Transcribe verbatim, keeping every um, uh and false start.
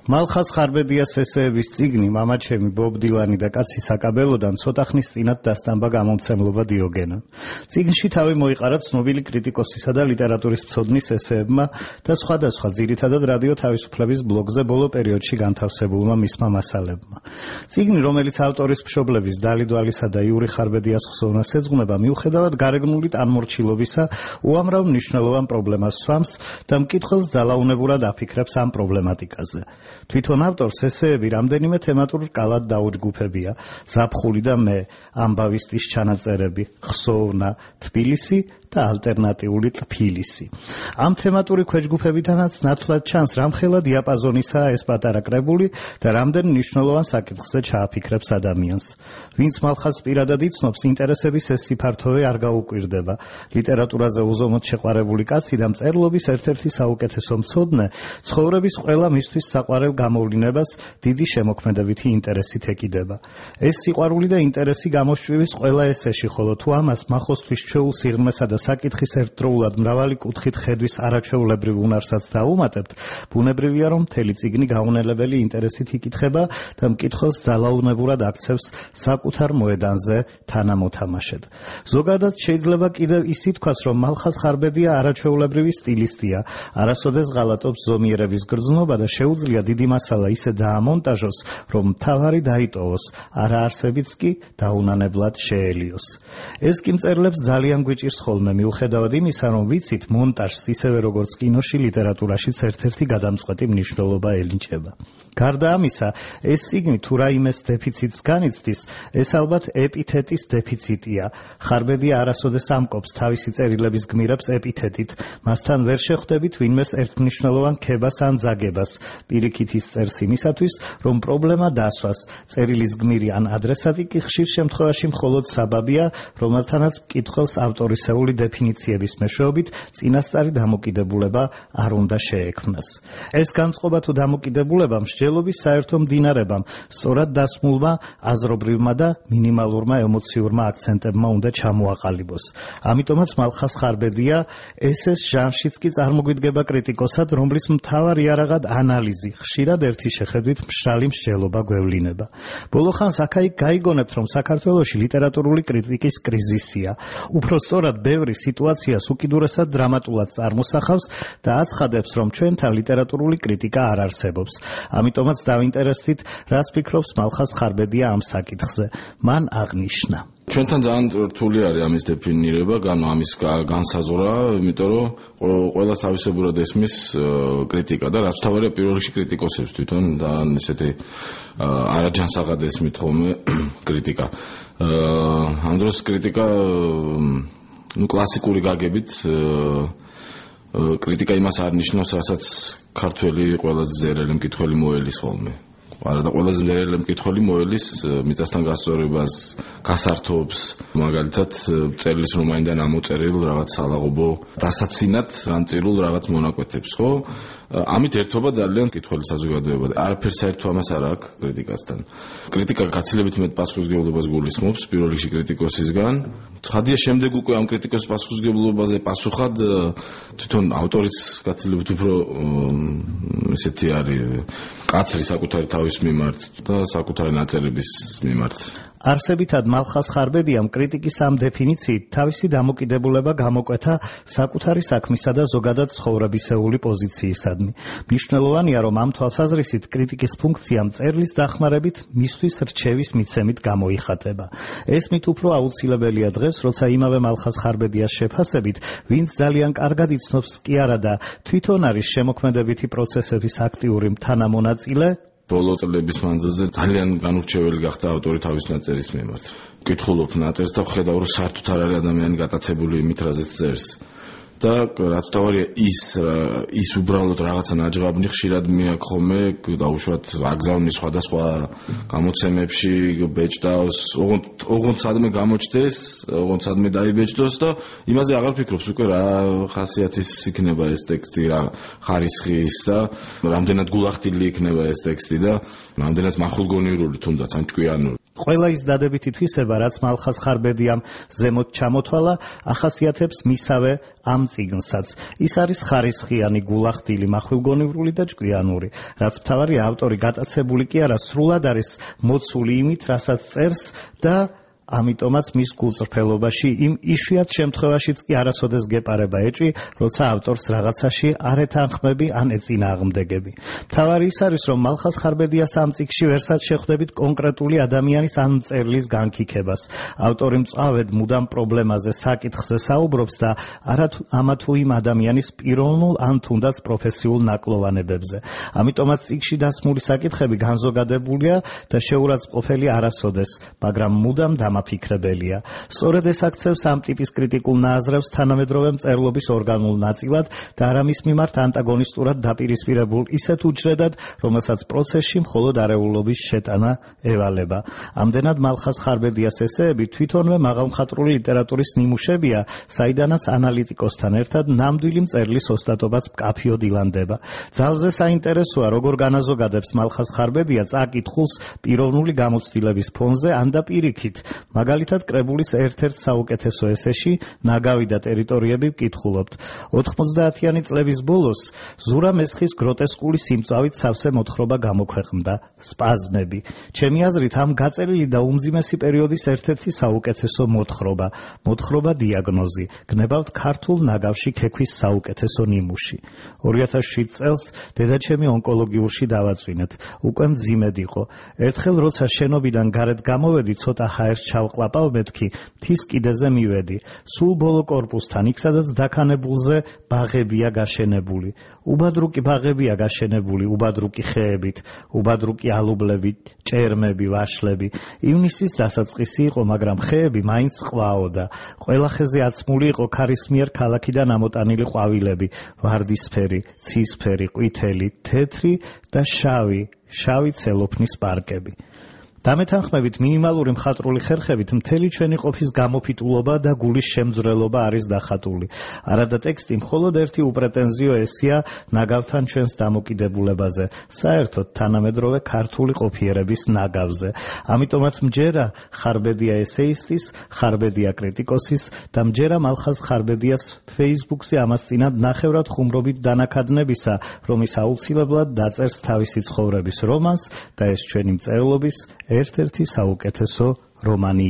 მალხაზ ხარბედიას ესეების წიგნი მამაჩემი ბობ დილანი და კაცი საკაბელოდან ცოტა ხნის წინათ დასტამბა გამომცემლობა დიოგენო. წიგნში თავი მოიყარა ცნობილი კრიტიკოსისა და ლიტერატურის მცოდნის ესეებმა და სხვადასხვა ძირითადად რადიო თავისუფლების ბლოგზე ბოლო პერიოდში განთავსებულმა მისმა მასალებმა. წიგნი, რომელიც ავტორის მშობლების დალი დვალისა და იური ხარბედიას ხსოვნას ეძღვნება, მიუხედავად გარეგნული ტანმორჩილობისა, უამრავ მნიშვნელოვან პრობლემას სვამს და მკითხველს ძალაუნებურად აფიქრებს ამ პრობლემატიკაზე. თვითონ ავტორს ესეები რამდენიმე თემატურ რკალად დაუჯგუფებია: ზაფხული და მე, ამბავისტის ჩანაწერები, ხსოვნა, თბილისი და ალტერნატიული ტფილისი. ამ თემატური ქვეჯგუფებიდანაც ნათლად ჩანს რამხელა დიაპაზონისაა ეს პატარა კრებული და რამდენ მნიშვნელოვან საკითხზე ჩააფიქრებს ადამიანს. ვინც მალხაზს პირადად იცნობს, ინტერესების ეს სიფართოვე არ გაუკვირდება. ლიტერატურაზე უზომოდ შეყვარებული კაცი და მწერლობის ერთ-ერთი საუკეთესო მცოდნე, ცხოვრების ყველა მისთვის საყვარელ გამოვლინებას დიდი შემოქმედებითი ინტერესით ეკიდება. ეს სიყვარული და ინტერესი გამოსჭვივის ყველა ესეში, ხოლო თუ ამას მახოსთვის ჩვეულ სიღრმესა და საკითხის ერთდროულად მრავალი კუთხით ხედვის არაჩვეულებრივ უნარსაც დაუმატებთ, ბუნებრივია, რომ მთელი წიგნი გაუნელებელი ინტერესით იკითხება და მკითხველს ძალაუნებურად აქცევს საკუთარ მოედანზე თანამოთამაშედ. ზოგადად შეიძლება კიდევ ის ითქვას, რომ მალხაზ ხარბედია არაჩვეულებრივი სტილისტია, არასოდეს ღალატობს ზომიერების გრძნობა და შეუძლია დიდი მასალა ისე დაამონტაჟოს, რომ მთავარი დაიტოვოს, არაარსებიც კი დაუნანებლად შეელიოს. ეს კი მწერლებს ძალიან გვიჭირს ხოლმე, მიუხედავად იმისა, რომ ვიცით, მონტაჟს ისევე როგორც კინოში, ლიტერატურაშიც ერთ-ერთი გადამწყვეტი მნიშვნელობა ენიჭება. გარდა ამისა, ეს წიგნი თუ რაიმეს დეფიციტს განიცდის, ეს ალბათ ეპითეტის დეფიციტია. ხარბედია არასოდეს ამკობს თავისი წერილების გმირებს ეპითეტით, მასთან ვერ შეხვდებით ვინმეს ერთმნიშვნელოვან ქებას ან ძაგებას. პირიქით ის წერს იმისათვის, რომ პრობლემა დასვას. წერილის გმირი ან ადრესატი კი ხშირ შემთხვევაში მხოლოდ საბაბია, რომელთანაც მკითხველს ავტორისეული დეფინიციების მეშვეობით წინასწარი დამოკიდებულება არ უნდა შეექმნას. ეს განწყობა თუ დამოკიდებულება მსჯელობის საერთო მდინარებამ, სწორად დასმულმა, აზრობრივმა და მინიმალურმა ემოციურმა აქცენტებმა უნდა ჩამოაყალიბოს. ამიტომაც მალხაზ ხარბედია ესეს ჟანრშიც კი წარმოგვიდგება კრიტიკოსად, რომლის მთავარ იარაღად ანალიზი, ხშირად ერთი შეხედვით მშრალი მსჯელობა გვევლინება. ბოლო ხანს აქა-იქ გაიგონებთ, რომ საქართველოში ლიტერატურული კრიტიკის კრიზისია. უფრო სწორად ბევრი სიტუაციას უკიდურესად დრამატულად წარმოსახავს და აცხადებს, რომ ჩვენთან ლიტერატურული კრიტიკა არ არსებობს. ამიტომაც დავინტერესდით, რას ფიქრობს მალხაზ ხარბედია ამ საკითხზე. მან აღნიშნა: ჩვენთან ძალიან რთული არის ამის დეფინირება, ანუ ამის განსაზღვრა, იმიტომ რომ ყველას თავისებურად ესმის კრიტიკა და რაც თავარია პირველ რიგში კრიტიკოსებს თვითონ და ესეთი არაჯანსაღად ესმით ხოლმე კრიტიკა. ამ დროს კრიტიკა ну კლასიკური გაგებით კრიტიკა იმას არ ნიშნავს, რასაც ქართველი ყველაზე ზერელი მკითხველი მოელის ხოლმე. არა და ყველაზე ზერელი მკითხველი მოელის მიწასთან გასწორებას, გასართობს, მაგალითად წერილს რომაინდან ამოწერილ რაღაც სალაღობო დასაცინად განწირულ რაღაც მონაკვეთებს, ხო? ამით ერთობა ძალიან მკითხველი საზოგადოება. არაფერ საერთო ამას არ აქვს კრიტიკასთან. კრიტიკა გაცილებით მეტ პასუხისმგებლობას გულისხმობს პირველ რიგში კრიტიკოსისგან. ცხადია, შემდეგ უკვე ამ კრიტიკოსის პასუხისმგებლობაზე პასუხად თვითონ ავტორიც გაცილებით უფრო ესეთი არის კაცრი საკუთარი თავის მიმართ და საკუთარი ნაწერების მიმართ. არსებითად მალხაზ ხარბედიამ კრიტიკის ამ დეფინიციით თავისი დამოკიდებულება გამოკვეთა საკუთარი საქმისა და ზოგადად ცხოვრებისეული პოზიციისადმი. მნიშვნელოვანია, რომ ამ თვალსაზრისით კრიტიკის ფუნქცია მწერლის დახმარებით მისთვის რჩევის მიცემით გამოიხატება. ეს მით უფრო აუცილებელია დღეს, როცა იმავე მალხაზ ხარბედიას შეფასებით, ვინც ძალიან კარგად იცნობს კი არა და თვითონ არის შემოქმედებითი პროცესების აქტიური თანამონაწილე, ბოლო წლების მანძილზე ძალიან განურჩეველი გახდა ავტორი თავის ნაწერის მიმართ. ვკითხულობ ნაწერს და ვხედავ, რომ საერთოდ არ არის ადამიანი გატაცებული იმით, რაზეც წერს. და რაც თავარია ის ის უბრალოდ რაღაცა ნაჯღაბნი ხშირად მეაქ ხოლმე დაუშვათ აგზავნი სხვადასხვა გამოცემებში ბეჭდავს, ოღონდ სადმე გამოჩდეს, ოღონდ სადმე დაიბეჭდოს და იმაზე აღარ ფიქრობს უკვე რა ხასიათის იქნება ეს ტექსტი, რა ხარისხის და რამდენად გულახდილი იქნება ეს ტექსტი და რამდენად მახვილგონიურული თუნდაც ან ჭკვიანური. ყველა ის დადებითი თვისება, რაც მალხაზ ხარბედიამ ზემოთ ჩამოთვალა, ახასიათებს მისავე ამ წიგნსაც. ის არის ხარისხიანი, გულახდილი, მახვილგონივრული და ჭკვიანური. რაც მთავარია, ავტორი გატაცებული კი არა, სრულად არის მოცული იმით, რასაც წერს და ამიტომაც მის გულწრფელობაში იმ იშვიათ შემთხვევაშიც კი არასოდეს გეპარება ეჭვი, როცა ავტორს რაღაცაში არ ეთანხმები ან ეწინააღმდეგები. მთავარი ის არის, რომ მალხაზ ხარბედიას ამ წიგნში ვერსად შეხვდებით კონკრეტული ადამიანის ან მწერლის განკიქებას. ავტორი მწვავედ მუდამ პრობლემაზე, საკითხზე საუბრობს და არა ამა თუ იმ ადამიანის პიროვნულ ან თუნდაც პროფესიულ ნაკლოვანებებზე. ამიტომაც წიგნში დასმული საკითხები განზოგადებულია და შეურაცხყოფელი არასოდეს, მაგრამ მუდამ დამაფიქრებელია. სწორედ ეს აქცევს ამ ტიპის კრიტიკულ ნაზრევს თანამედროვე მწერლობის ორგანულ ნაწილად და არა მის მიმართ ანტაგონისტურად დაპირისპირებულ ისეთ უჯრედად, რომელსაც პროცესში მხოლოდ არეულობის შეტანა ევალება. ამდენად მალხაზ ხარბედიას ესეები თვითონვე მაღალმხატვრული ლიტერატურის ნიმუშებია, საიდანაც ანალიტიკოსთან ერთად ნამდვილი მწერლის ოსტატობაც მკაფიოდ ილანდება. ძალზე საინტერესოა, როგორ განაზოგადებს მალხაზ ხარბედია წაკითხულს პიროვნული გამოცდილების ფონზე ან და პირიქით. მაგალითად, კრებულის ერთ-ერთ საუკეთესო ესეში ნაგავი და ტერიტორიები ვკითხულობთ. ოთხმოცდაათიანი წლების ბოლოს ზურა მესხის გროტესკული სიმწავით სავსე მოთხრობა გამოქვეყნდა სპაზმები. ჩემი აზრით, ამ გაწერილი და უმძიმესი პერიოდის ერთ-ერთი საუკეთესო მოთხრობა, მოთხრობა დიაგნოზი, გნებავთ ქართულ ნაგავში ქექვის საუკეთესო ნიმუში. ორი ათას შვიდ წელს დედაჩემი ონკოლოგიურში დავაწვინეთ. უკვე მძიმედ იყო. ერთხელ როცა შენობიდან გარეთ გამოვედი, ცოტა ჰაერს ჩავყლაპავ მეთქი, მთის კიდეზე მივედი. სულ ბოლო კორპუსთან, იქ სადაც დაქანებულზე ბაღებია გაშენებული. უბადრუკი ბაღებია გაშენებული, უბადრუკი ხეებით, უბადრუკი ალუბლებით, ჭერმები, ვაშლები. ივნისის დასაწყისი იყო, მაგრამ ხეები მაინც ყვაოდა. ყველა ხეზე აცმული იყო ქარისმიერ ქალაქიდან ამოტანილი ყვავილები, ვარდისფერი, ცისფერი, ყვითელი, თეთრი და შავი, შავი ცელოფნის პარკები. დამეთანხმებით მინიმალური მხატვრული ხერხებით მთელი ჩვენი ყოფის გამოფიტულობა და გულის შემძვრელობა არის დახატული. არადა ტექსტი მხოლოდ ერთი უპრეტენზიო ესია ნაგავთან ჩვენს დამოკიდებულებაზე, საერთოდ თანამედროვე ქართული ყოფიერების ნაგავზე. ამიტომაც მჯერა ხარბედია ესეისტის, ხარბედია კრიტიკოსის და მჯერა მალხაზ ხარბედიას ფეისბუქზე ამას წინათ ნახევრად ხუმრობით დანაკადნებისა, რომ ის აუცილებლად დაწერს თავისი ცხოვრების რომანს და ეს ჩვენი მწერლობის ერთ-ერთი საუკეთესო რომანი